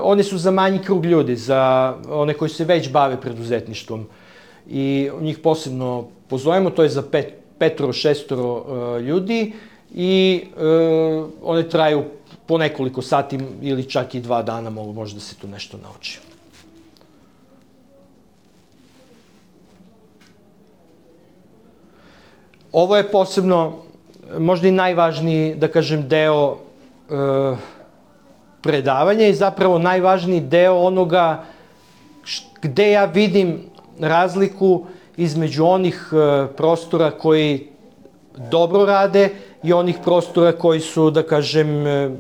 one su za manji krug ljudi, za one koji se već bave preduzetništvom. I njih posebno pozovemo, to je za pet, petoro, šestoro uh, ljudi i uh, one traju po nekoliko sati ili čak i dva dana, mogu možda da se tu nešto nauči. Ovo je posebno, možda i najvažniji, da kažem, deo e, predavanja i zapravo najvažniji deo onoga gde ja vidim razliku između onih e, prostora koji dobro rade i onih prostora koji su, da kažem, e,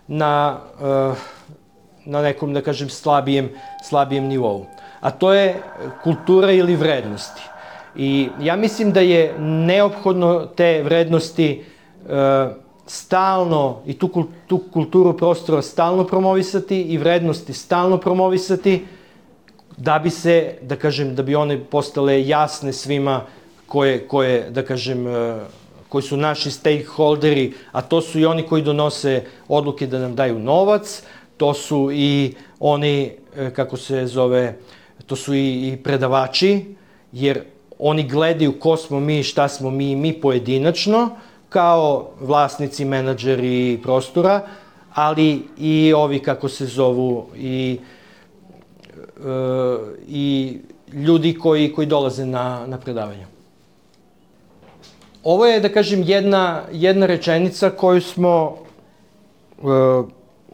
na, e, na nekom, da kažem, slabijem, slabijem nivou. A to je kultura ili vrednosti. I ja mislim da je neophodno te vrednosti e, stalno i tu, tu kulturu prostora stalno promovisati i vrednosti stalno promovisati da bi se, da kažem, da bi one postale jasne svima koje, koje da kažem, e, koji su naši stakeholderi, a to su i oni koji donose odluke da nam daju novac, to su i oni, e, kako se zove, to su i, i predavači, jer oni gledaju ko smo mi, šta smo mi, mi pojedinačno, kao vlasnici, menadžeri prostora, ali i ovi, kako se zovu, i, e, i ljudi koji, koji dolaze na, na predavanje. Ovo je, da kažem, jedna, jedna rečenica koju smo e,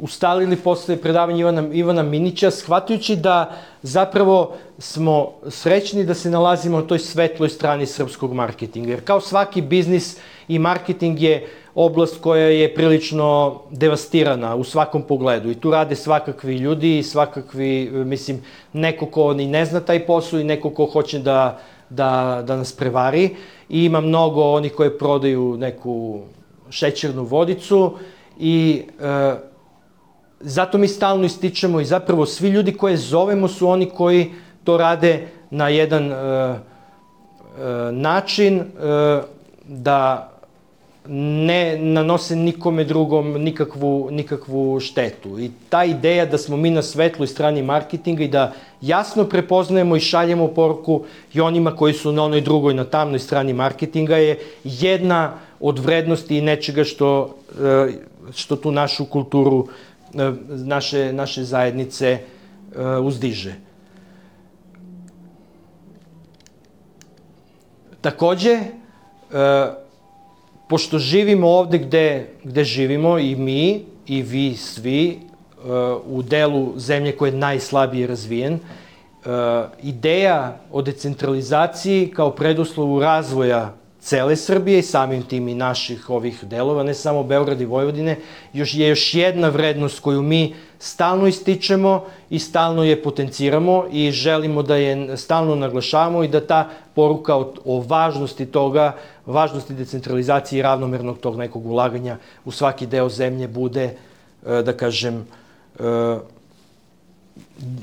ustalili posle predavanja Ivana, Ivana Minića, shvatajući da zapravo smo srećni da se nalazimo na toj svetloj strani srpskog marketinga. Jer kao svaki biznis i marketing je oblast koja je prilično devastirana u svakom pogledu. I tu rade svakakvi ljudi i svakakvi, mislim, neko ko ni ne zna taj posao i neko ko hoće da, da, da nas prevari. I ima mnogo onih koje prodaju neku šećernu vodicu i e, zato mi stalno ističemo i zapravo svi ljudi koje zovemo su oni koji to rade na jedan e, e, način e, da ne nanose nikome drugom nikakvu, nikakvu štetu. I ta ideja da smo mi na svetloj strani marketinga i da jasno prepoznajemo i šaljemo poruku i onima koji su na onoj drugoj, na tamnoj strani marketinga je jedna od vrednosti i nečega što, što tu našu kulturu, naše, naše zajednice uzdiže. Takođe, pošto živimo ovde gde, gde živimo i mi i vi svi u delu zemlje koji je najslabije razvijen, ideja o decentralizaciji kao preduslovu razvoja cele Srbije i samim tim i naših ovih delova, ne samo Beograda i Vojvodine, još je još jedna vrednost koju mi stalno ističemo i stalno je potenciramo i želimo da je stalno naglašavamo i da ta poruka o, o važnosti toga, važnosti decentralizacije i ravnomernog tog nekog ulaganja u svaki deo zemlje bude, da kažem,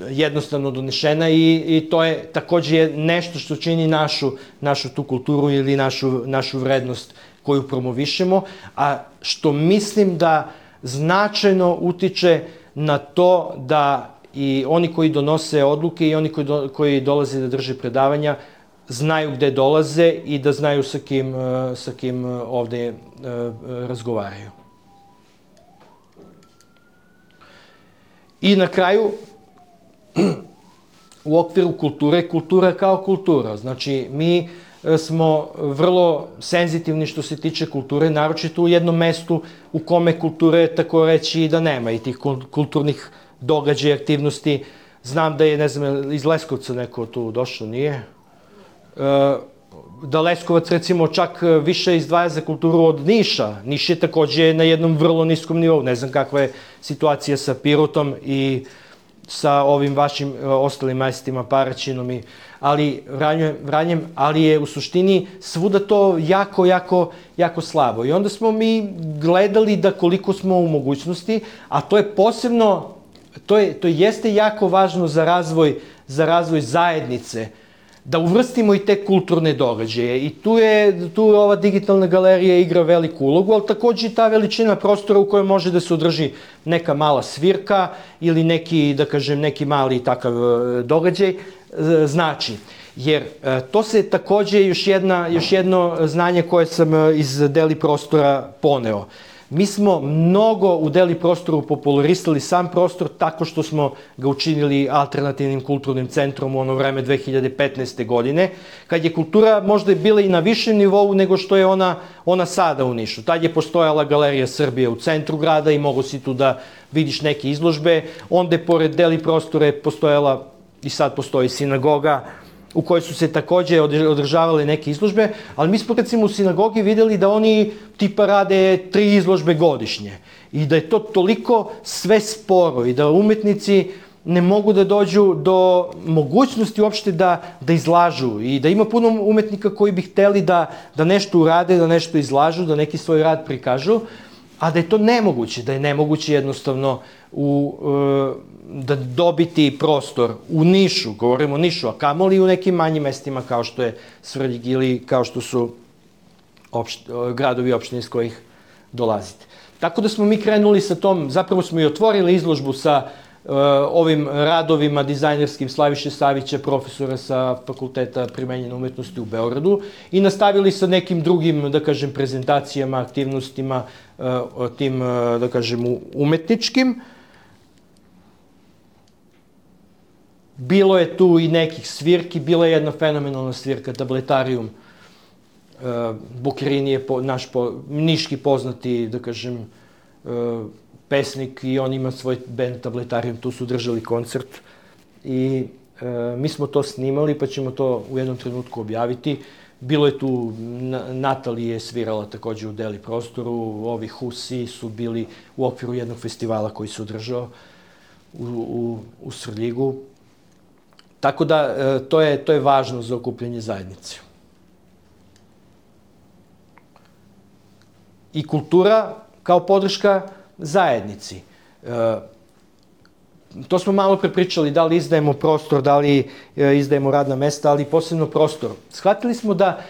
jednostavno donešena i, i to je takođe nešto što čini našu, našu tu kulturu ili našu, našu vrednost koju promovišemo, a što mislim da značajno utiče na to da i oni koji donose odluke i oni koji, do, koji dolaze da drže predavanja znaju gde dolaze i da znaju sa kim, sa kim ovde razgovaraju. I na kraju, u okviru kulture, kultura kao kultura. Znači, mi smo vrlo senzitivni što se tiče kulture, naročito u jednom mestu u kome kulture tako reći da nema i tih kulturnih događaja, aktivnosti. Znam da je, ne znam, iz Leskovca neko tu došao, nije? Da Leskovac, recimo, čak više izdvaja za kulturu od Niša. Niš je takođe na jednom vrlo niskom nivou. Ne znam kakva je situacija sa Pirotom i sa ovim vašim ostalim mestima, Paraćinom, i, ali Vranjem, Vranjem, ali je u suštini svuda to jako, jako, jako slabo. I onda smo mi gledali da koliko smo u mogućnosti, a to je posebno, to, je, to jeste jako važno za razvoj, za razvoj zajednice, da uvrstimo i te kulturne događaje. I tu je, tu ova digitalna galerija igra veliku ulogu, ali takođe i ta veličina prostora u kojoj može da se održi neka mala svirka ili neki, da kažem, neki mali takav događaj znači. Jer to se takođe još, jedna, još jedno znanje koje sam iz Deli prostora poneo. Mi smo mnogo u Deli prostoru popularisali sam prostor tako što smo ga učinili alternativnim kulturnim centrom u ono vreme dve hiljade petnaeste. godine, kad je kultura možda bila i na višem nivou nego što je ona, ona sada u Nišu. Tad je postojala Galerija Srbije u centru grada i mogo si tu da vidiš neke izložbe. Onda je pored Deli prostora je postojala, i sad postoji, sinagoga, u kojoj su se takođe održavale neke izložbe, ali mi smo recimo u sinagogi videli da oni tipa rade tri izložbe godišnje i da je to toliko sve sporo i da umetnici ne mogu da dođu do mogućnosti uopšte da, da izlažu i da ima puno umetnika koji bi hteli da, da nešto urade, da nešto izlažu, da neki svoj rad prikažu, a da je to nemoguće, da je nemoguće jednostavno u, da dobiti prostor u Nišu, govorimo o Nišu, a kamoli i u nekim manjim mestima kao što je Svrljig ili kao što su opšt, gradovi opštine iz kojih dolazite. Tako da smo mi krenuli sa tom, zapravo smo i otvorili izložbu sa uh, ovim radovima dizajnerskim Slaviše Savića, profesora sa Fakulteta primenjene umetnosti u Beogradu i nastavili sa nekim drugim, da kažem, prezentacijama, aktivnostima, uh, tim, uh, da kažem, umetničkim. Bilo je tu i nekih svirki, bila je jedna fenomenalna svirka, Tabletarijum. Uh, Bukerini je po, naš po, niški poznati, da kažem, uh, pesnik i on ima svoj band Tabletarijum, tu su držali koncert i uh, mi smo to snimali pa ćemo to u jednom trenutku objaviti. Bilo je tu, Natalija je svirala takođe u Deli prostoru, ovi Husi su bili u okviru jednog festivala koji se održao u, u, u Svrljigu. Tako da, to je, to je važno za okupljanje zajednice. I kultura kao podrška zajednici. To smo malo prepričali, da li izdajemo prostor, da li izdajemo radna mesta, ali posebno prostor. Shvatili smo da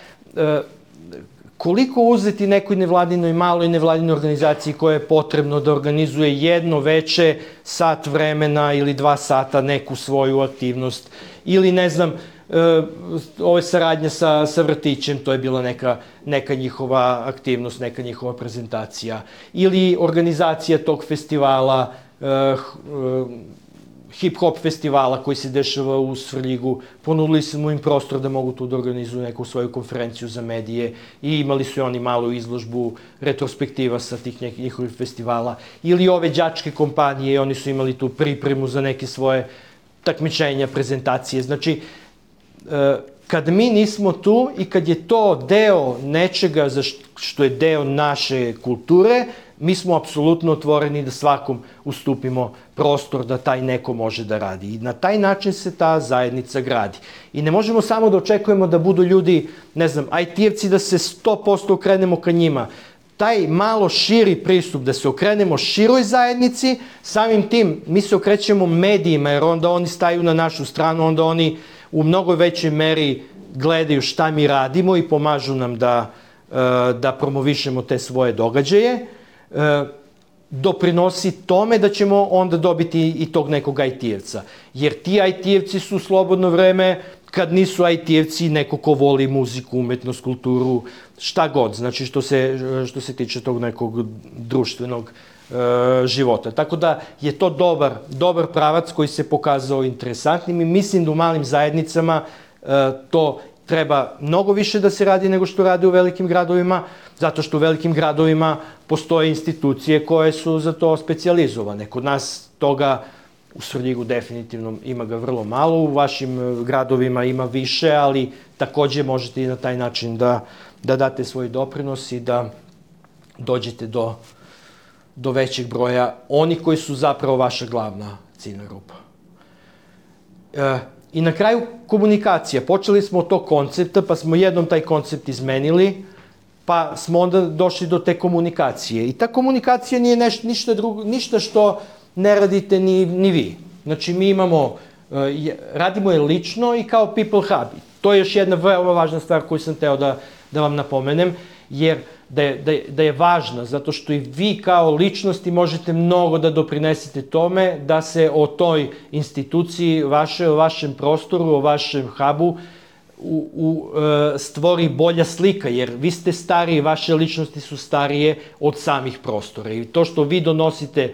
koliko uzeti nekoj nevladinoj, maloj nevladinoj organizaciji koja je potrebno da organizuje jedno veče, sat vremena ili dva sata neku svoju aktivnost, ili ne znam, ovo je saradnja sa, sa vrtićem, to je bila neka, neka njihova aktivnost, neka njihova prezentacija, ili organizacija tog festivala, hip-hop festivala koji se dešava u Svrljigu. Ponudili smo im prostor da mogu tu da organizuju neku svoju konferenciju za medije i imali su oni malu izložbu retrospektiva sa tih nekih njihovih festivala. Ili ove đačke kompanije, oni su imali tu pripremu za neke svoje takmičenja, prezentacije. Znači, kad mi nismo tu i kad je to deo nečega za što je deo naše kulture, mi smo apsolutno otvoreni da svakom ustupimo prostor da taj neko može da radi. I na taj način se ta zajednica gradi. I ne možemo samo da očekujemo da budu ljudi, ne znam, I T-evci da se sto posto okrenemo ka njima. Taj malo širi pristup, da se okrenemo široj zajednici, samim tim mi se okrećemo medijima, jer onda oni staju na našu stranu, onda oni u mnogo većoj meri gledaju šta mi radimo i pomažu nam da, da promovišemo te svoje događaje. Doprinosi tome da ćemo onda dobiti i tog nekog I T-evca. Jer ti I T-evci su slobodno vreme, kad nisu I T-evci, neko ko voli muziku, umetnost, kulturu, šta god, znači što se, što se tiče tog nekog društvenog e, života. Tako da je to dobar, dobar pravac koji se pokazao interesantnim i mislim da u malim zajednicama e, to treba mnogo više da se radi nego što radi u velikim gradovima, zato što u velikim gradovima postoje institucije koje su za to specijalizovane. Kod nas toga u Svrljigu definitivno ima ga vrlo malo, u vašim gradovima ima više, ali takođe možete i na taj način da, da date svoj doprinos i da dođete do, do većeg broja onih koji su zapravo vaša glavna ciljna grupa. E, I na kraju komunikacija. Počeli smo od tog koncepta, pa smo jednom taj koncept izmenili, pa smo onda došli do te komunikacije. I ta komunikacija nije neš, ništa, drugo, ništa što ne radite ni, ni vi. Znači, mi imamo, radimo je lično i kao People Hub. To je još jedna veoma važna stvar koju sam teo da, da vam napomenem, jer da je, da, je, da je važna, zato što i vi kao ličnosti možete mnogo da doprinesete tome da se o toj instituciji, vaše, o vašem prostoru, o vašem hubu u, u, e, stvori bolja slika, jer vi ste stariji, vaše ličnosti su starije od samih prostora. I to što vi donosite,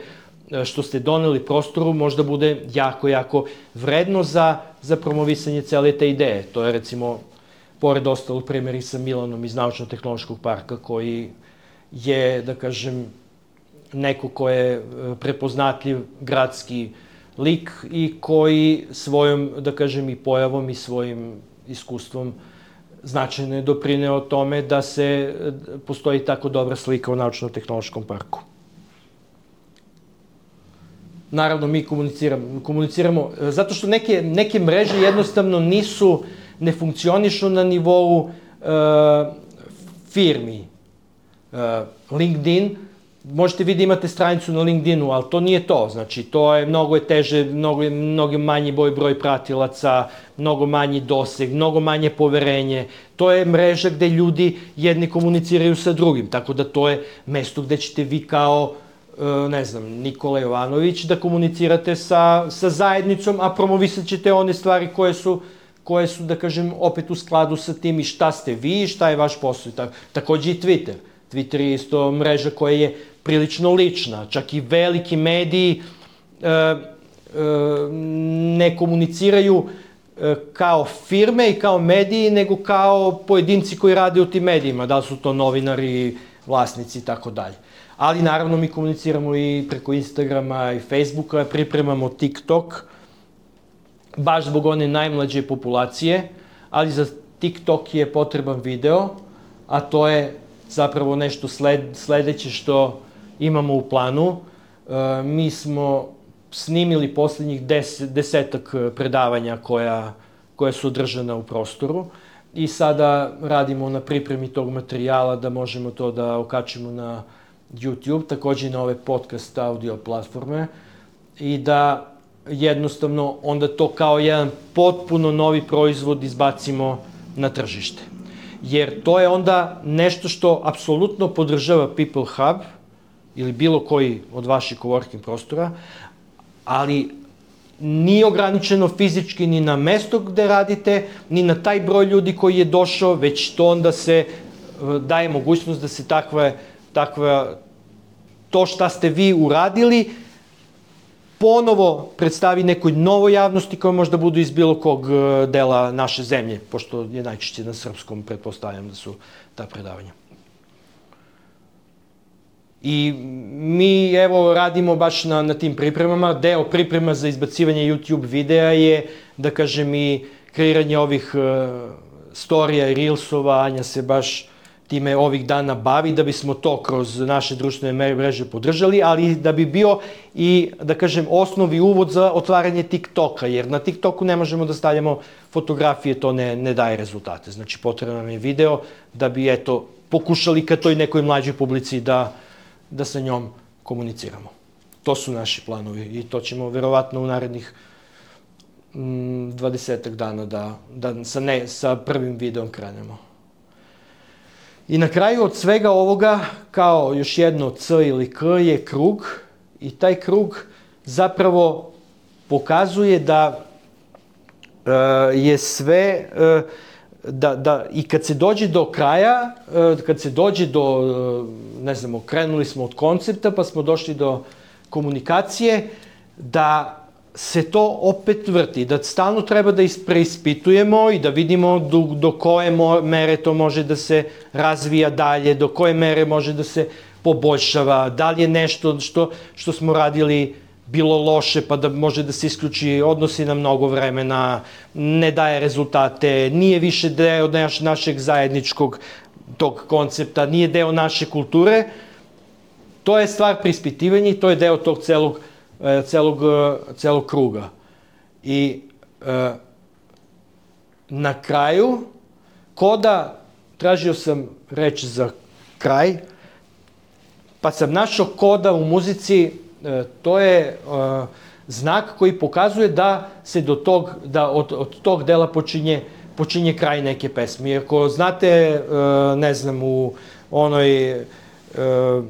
što ste doneli prostoru, možda bude jako, jako vredno za, za promovisanje cele te ideje. To je, recimo, pored ostalog primjeri sa Milanom iz Naučno-tehnološkog parka, koji je, da kažem, neko ko je prepoznatljiv gradski lik i koji svojom, da kažem, i pojavom i svojim iskustvom značajno je doprineo tome da se postoji tako dobra slika u Naučno-tehnološkom parku. Naravno, mi komuniciramo, komuniciramo zato što neke, neke mreže jednostavno nisu, ne funkcionišu na nivou uh, firmi. Uh, LinkedIn, možete vi da imate stranicu na LinkedInu, ali to nije to. Znači, to je mnogo je teže, mnogo, je, mnogo manji broj, broj pratilaca, mnogo manji doseg, mnogo manje poverenje. To je mreža gde ljudi jedni komuniciraju sa drugim, tako da to je mesto gde ćete vi kao ne znam, Nikola Jovanović, da komunicirate sa, sa zajednicom, a promovisat ćete one stvari koje su, koje su, da kažem, opet u skladu sa tim i šta ste vi, šta je vaš posao. Tak, takođe i Twitter. Twitter je isto mreža koja je prilično lična. Čak i veliki mediji e, e, ne komuniciraju e, kao firme i kao mediji, nego kao pojedinci koji rade u tim medijima. Da li su to novinari, vlasnici i tako dalje. Ali naravno mi komuniciramo i preko Instagrama i Facebooka, pripremamo TikTok, baš zbog one najmlađe populacije, ali za TikTok je potreban video, a to je zapravo nešto sled, sledeće što imamo u planu. E, mi smo snimili poslednjih des, desetak predavanja koja, koja su održana u prostoru i sada radimo na pripremi tog materijala da možemo to da okačimo na YouTube, takođe i na ove podcast audio platforme i da jednostavno onda to kao jedan potpuno novi proizvod izbacimo na tržište. jer to je onda nešto što apsolutno podržava People Hub ili bilo koji od vaših coworking prostora, ali nije ograničeno fizički ni na mesto gde radite, ni na taj broj ljudi koji je došao, već to onda se daje mogućnost da se takva, takva, to šta ste vi uradili, ponovo predstavi nekoj novoj javnosti koja možda budu iz bilo kog dela naše zemlje, pošto je najčešće na srpskom, pretpostavljam da su ta predavanja. I mi, evo, radimo baš na, na tim pripremama. Deo priprema za izbacivanje YouTube videa je, da kažem, i kreiranje ovih uh, storija i reelsova. Anja se baš time ovih dana bavi, da bismo to kroz naše društvene mreže podržali, ali da bi bio i, da kažem, osnovi uvod za otvaranje TikToka, jer na TikToku ne možemo da stavljamo fotografije, to ne, ne daje rezultate. Znači, potrebno nam je video da bi, eto, pokušali ka toj nekoj mlađoj publici da da sa njom komuniciramo. To su naši planovi i to ćemo verovatno u narednih dvadesetak dana da, da sa, ne, sa prvim videom krenemo. I na kraju od svega ovoga, kao još jedno C ili K, je krug i taj krug zapravo pokazuje da uh, je sve... Uh, Da, da i kad se dođe do kraja, kad se dođe do, ne znamo, krenuli smo od koncepta pa smo došli do komunikacije, da se to opet vrti, da stalno treba da preispitujemo i da vidimo do, do koje mere to može da se razvija dalje, do koje mere može da se poboljšava, da li je nešto što, što smo radili bilo loše, pa da može da se isključi, odnosi na mnogo vremena, ne daje rezultate, nije više deo naš, našeg zajedničkog tog koncepta, nije deo naše kulture. To je stvar preispitivanja i to je deo tog celog, celog, celog kruga. I e, na kraju, koda, tražio sam reč za kraj, pa sam našao koda u muzici. To je uh, znak koji pokazuje da se do tog, da od, od tog dela počinje, počinje kraj neke pesme. I ako znate, uh, ne znam, u onoj, uh,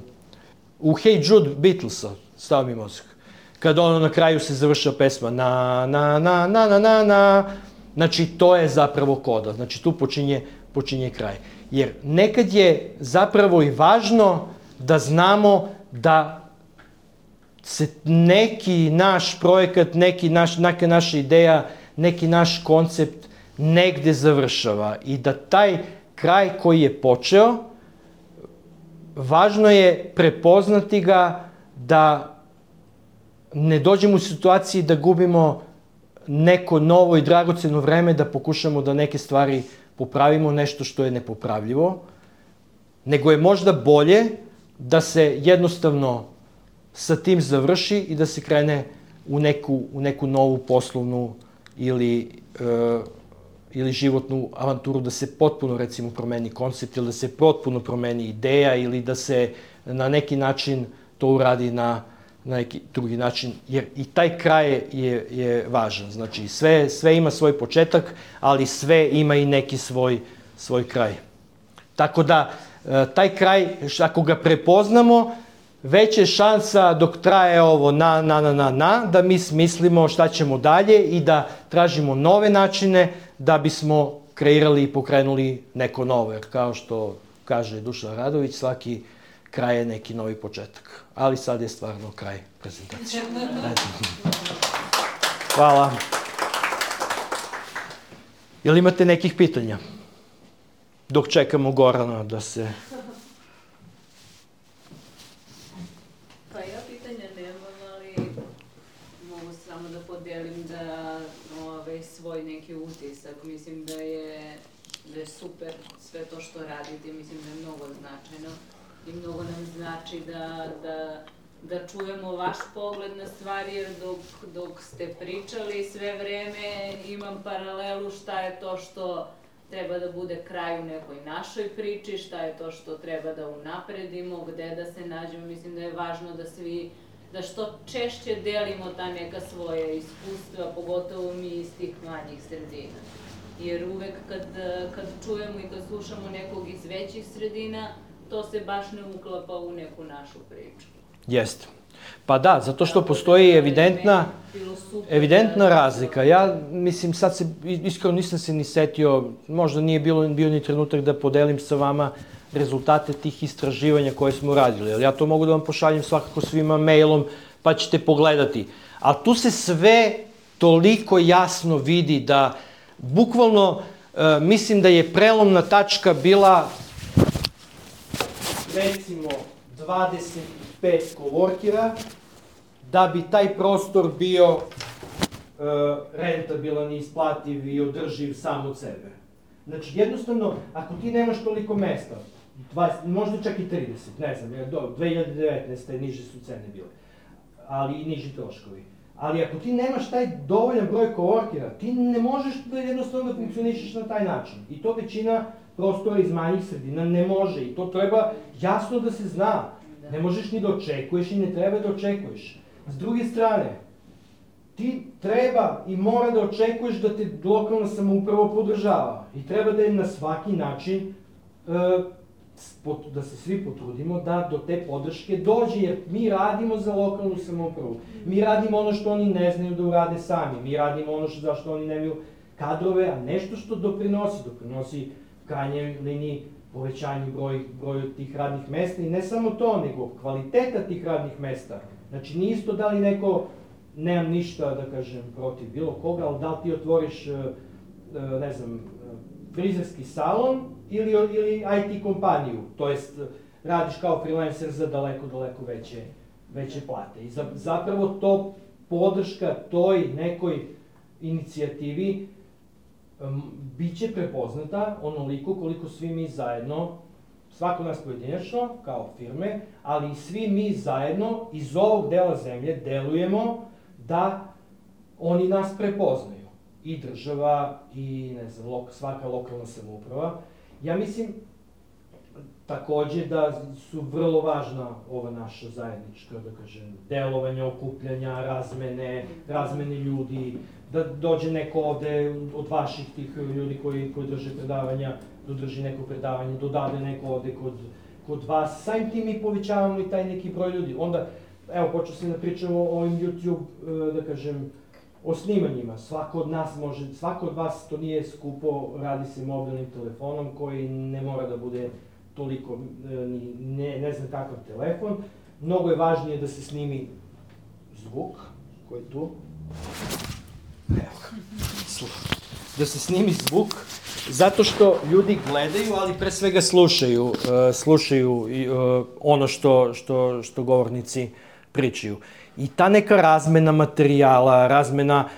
u Hey Jude Beatlesa, stao mi mozak, kad ono na kraju se završava pesma na, na, na, na, na, na, na, znači to je zapravo koda, znači tu počinje, počinje kraj. Jer nekad je zapravo i važno da znamo da se neki naš projekat, neki naš, neka naša ideja, neki naš koncept negde završava i da taj kraj koji je počeo, važno je prepoznati ga da ne dođemo u situaciji da gubimo neko novo i dragoceno vreme da pokušamo da neke stvari popravimo, nešto što je nepopravljivo, nego je možda bolje da se jednostavno sa tim završi i da se krene u neku, u neku novu poslovnu ili, e, ili životnu avanturu, da se potpuno, recimo, promeni koncept ili da se potpuno promeni ideja ili da se na neki način to uradi na, na neki drugi način, jer i taj kraj je, je važan. Znači, sve, sve ima svoj početak, ali sve ima i neki svoj, svoj kraj. Tako da, e, taj kraj, ako ga prepoznamo, veća je šansa dok traje ovo na, na, na, na, na, da mi smislimo šta ćemo dalje i da tražimo nove načine da bismo kreirali i pokrenuli neko novo. Jer kao što kaže Dušan Radović, svaki kraj je neki novi početak. Ali sad je stvarno kraj prezentacije. Hvala. Jel imate nekih pitanja? Dok čekamo Gorana da se... svoj neki utisak. Mislim da je, da je super sve to što radite. Mislim da je mnogo značajno i mnogo nam znači da, da, da čujemo vaš pogled na stvari, jer dok, dok ste pričali sve vreme imam paralelu šta je to što treba da bude kraj u nekoj našoj priči, šta je to što treba da unapredimo, gde da se nađemo. Mislim da je važno da svi da što češće delimo ta neka svoja iskustva, pogotovo mi iz tih manjih sredina. jer uvek kad, kad čujemo i kad slušamo nekog iz većih sredina, to se baš ne uklapa u neku našu priču. Jeste. Pa da, zato što postoji evidentna, evidentna razlika. Ja, mislim, sad se, iskreno nisam se ni setio, možda nije bilo, bio ni trenutak da podelim sa vama rezultate tih istraživanja koje smo radili. Ali ja to mogu da vam pošaljem svakako svima mailom, pa ćete pogledati. Ali tu se sve toliko jasno vidi da, bukvalno, e, mislim da je prelomna tačka bila, recimo, dvadeset pet coworkera, da bi taj prostor bio e, rentabilan i isplativ i održiv sam od sebe. Znači, jednostavno, ako ti nemaš toliko mesta, dvadeset, možda čak i trideset, ne znam, jer do dve hiljade devetnaeste. niže su cene bile, ali i niži troškovi. Ali ako ti nemaš taj dovoljan broj coworkera, ti ne možeš da jednostavno da funkcionišeš na taj način. I to većina prostora iz manjih sredina ne može i to treba jasno da se zna. Ne možeš ni da očekuješ i ne treba da očekuješ. S druge strane, ti treba i mora da očekuješ da te lokalna samouprava podržava i treba da je na svaki način da se svi potrudimo da do te podrške dođe, jer mi radimo za lokalnu samoupravu. Mi radimo ono što oni ne znaju da urade sami. Mi radimo ono za što oni nemaju kadrove, a nešto što doprinosi, doprinosi u krajnjoj liniji povećanju broju tih radnih mesta i ne samo to, nego kvaliteta tih radnih mesta. Znači, nije isto da li neko, nemam ništa da kažem protiv bilo koga, ali da li ti otvoriš, ne znam, frizerski salon ili i te kompaniju, to jest radiš kao freelancer za daleko, daleko veće plate. I zapravo to podrška toj nekoj inicijativi biće prepoznata onoliko koliko svi mi zajedno, svako nas pojedinačno, kao firme, ali i svi mi zajedno iz ovog dela zemlje delujemo da oni nas prepoznaju. I država, i ne znam, svaka lokalna samouprava. Ja mislim takođe da su vrlo važna ova naša zajednička, da kažem, delovanja, okupljanja, razmene, razmene ljudi, da dođe neko ovde od vaših tih ljudi koji drže predavanja, da drži neko predavanje, dodade neko ovde kod vas. Samim tim mi povećavamo i taj neki broj ljudi. Onda, evo, počeo sam da pričam o ovim YouTube, da kažem, o snimanjima. Svako od nas može, svako od vas, to nije skupo, radi se mobilnim telefonom koji ne mora da bude toliko, ne znam kakav telefon. Mnogo je važnije da se snimi zvuk, koji je tu. Evo ga, da se snimi zvuk, zato što ljudi gledaju, ali pre svega slušaju, slušaju ono što govornici pričaju. I ta neka razmena materijala, razmena,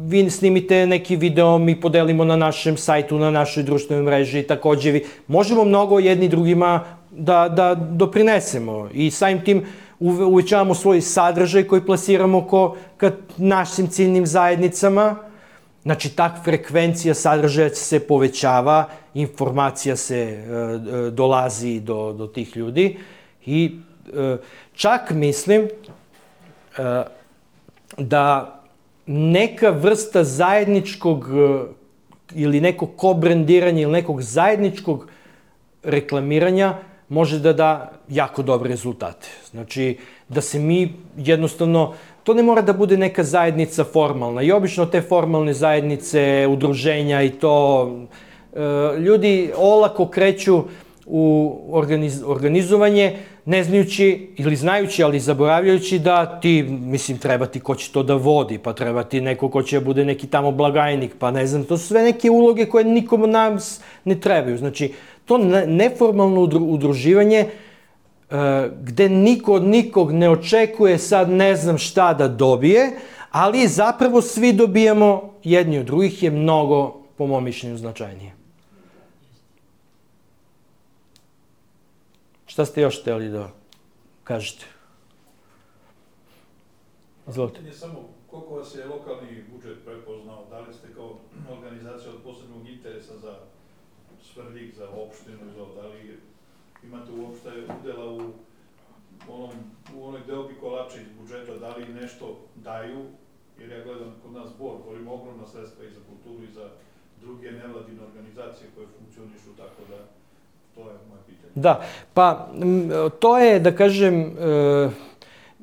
vi snimite neki video, mi podelimo na našem sajtu, na našoj društvenoj mreži, takođe vi, možemo mnogo jedni drugima da doprinesemo i samim tim uvećavamo svoj sadržaj koji plasiramo ka našim ciljnim zajednicama. Znači, ta frekvencija sadržaja se povećava, informacija se dolazi do tih ljudi i čak mislim da neka vrsta zajedničkog ili nekog ko-brendiranja ili nekog zajedničkog reklamiranja može da da jako dobre rezultate. Znači, da se mi jednostavno, to ne mora da bude neka zajednica formalna i obično te formalne zajednice, udruženja i to, ljudi olako kreću u organizovanje, ne znajući ili znajući, ali zaboravljajući da ti, mislim, treba ti ko će to da vodi, pa treba ti neko ko će da bude neki tamo blagajnik, pa ne znam, to su sve neke uloge koje nikom od nas ne trebaju. Znači, to neformalno udruživanje gde niko od nikog ne očekuje sad ne znam šta da dobije, ali zapravo svi dobijamo jedni od drugih je mnogo, po mom mišljenju, značajnije. Šta ste još hteli da kažete? Izvolite. Ne samo koliko vas je lokalni budžet prepoznao, da li ste kao organizacija od posebnog interesa za Svrljig, za opštinu, da li imate uopšte udela u onoj deobi kolača iz budžeta, da li nešto daju, jer ja gledam kod nas Bor, govorimo ogromna sredstva i za kulturu i za druge nevladine organizacije koje funkcionišu, tako da to je moje pitanje. Da, pa m, to je, da kažem, e,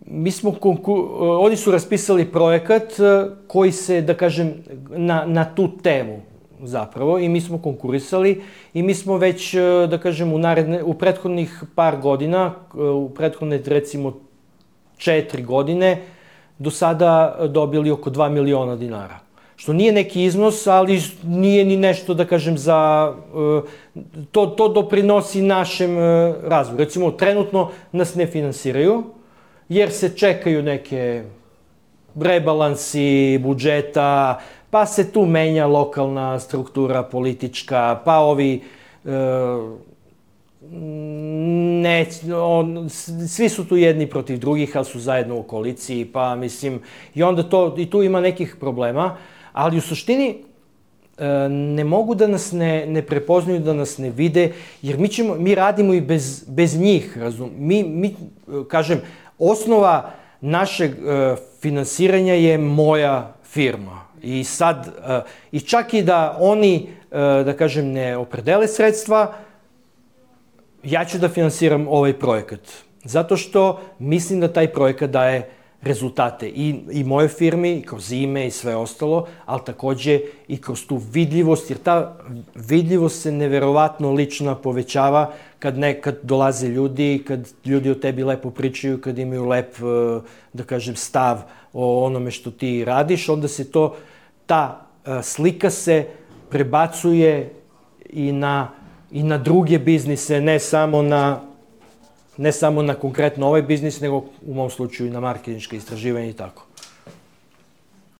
mi smo, konku- oni su raspisali projekat e, koji se, da kažem, na, na tu temu zapravo i mi smo konkurisali i mi smo već, e, da kažem, u, naredne, u prethodnih par godina, e, u prethodne recimo četiri godine, do sada dobili oko dva miliona dinara. Što nije neki iznos, ali nije ni nešto, da kažem, za... To, to doprinosi našem razvoju. Recimo, trenutno nas ne finansiraju, jer se čekaju neke rebalansi budžeta, pa se tu menja lokalna struktura politička, pa ovi... Ne, on, svi su tu jedni protiv drugih, ali su zajedno u koaliciji, pa mislim, i onda to, i tu ima nekih problema, ali u suštini ne mogu da nas ne, ne prepoznaju, da nas ne vide, jer mi, ćemo, mi radimo i bez, bez njih, razum. Mi, mi, kažem, osnova našeg uh, finansiranja je moja firma. I sad, uh, i čak i da oni, uh, da kažem, ne opredele sredstva, ja ću da finansiram ovaj projekat. Zato što mislim da taj projekat daje rezultate i, i moje firmi, i kroz ime i sve ostalo, ali takođe i kroz tu vidljivost, jer ta vidljivost se neverovatno lična povećava kad nekad dolaze ljudi, kad ljudi o tebi lepo pričaju, kad imaju lep, da kažem, stav o onome što ti radiš, onda se to, ta slika se prebacuje i na, i na druge biznise, ne samo na ne samo na konkretno ovaj biznis, nego u mom slučaju i na marketinška istraživanja i tako.